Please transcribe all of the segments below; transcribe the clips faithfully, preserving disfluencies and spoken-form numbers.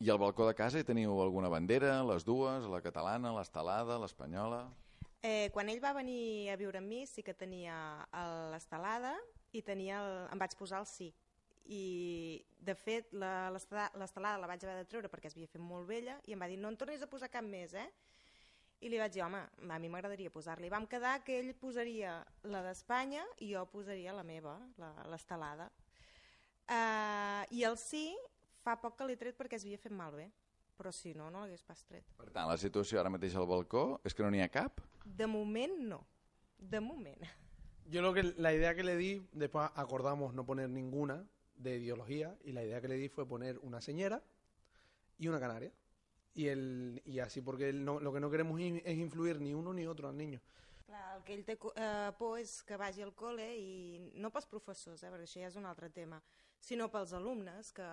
I al balcó de casa hi teniu alguna bandera, les dues, la catalana, l'estelada, l'espanyola? Eh, quan ell va venir a viure amb mi sí que tenia l'estelada i tenia el, em vaig posar el sí. I de fet la- l'esta- l'estelada la vaig haver de treure perquè es havia fet molt vella i em va dir no en tornis a posar cap més, eh? I li vaig dir, home, a mi m'agradaria posar-li. Vam quedar que ell posaria la d'Espanya i jo posaria la meva, la- l'estelada. Uh, I el sí fa poc que l'he tret perquè es havia fet malbé, però si no, no l'hagués pas tret. Per tant, la situació ara mateix al balcó és que no n'hi ha cap? De moment no, de moment. Yo lo que la idea que le di, después acordamos no poner ninguna de ideología y la idea que le di fue poner una señera y una canaria. Y el y así porque el no, lo que no queremos in- es influir ni uno ni otro al niño. Clar, el que ell té eh, por és que vagi al col·le i no pels professors, eh, perquè això ja és un altre tema, sinó pels alumnes que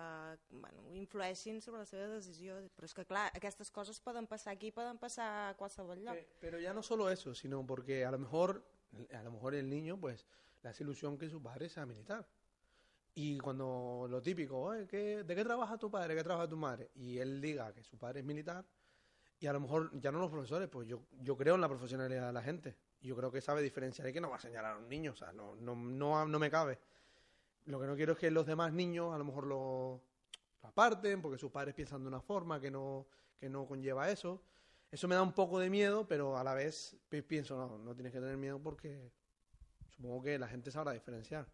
bueno, influeixin sobre la seva decisió. Però és que clar, aquestes coses poden passar aquí, poden passar a qualsevol lloc. Pe- Pero ya no solo eso, sino porque a lo mejor a lo mejor el niño pues le hace ilusión que su padre sea militar. Y cuando lo típico, "Oye, ¿qué- ¿de qué trabaja tu padre? ¿Qué trabaja tu madre?" Y él diga que su padre es militar, y a lo mejor ya no los profesores, pues yo, yo creo en la profesionalidad de la gente. Yo creo que sabe diferenciar y que no va a señalar a un niño, o sea, no, no, no, no me cabe. Lo que no quiero es que los demás niños a lo mejor lo, lo aparten porque sus padres piensan de una forma que no, que no conlleva eso. Eso me da un poco de miedo, pero a la vez pi- pienso, no, no tienes que tener miedo porque supongo que la gente sabrá diferenciar.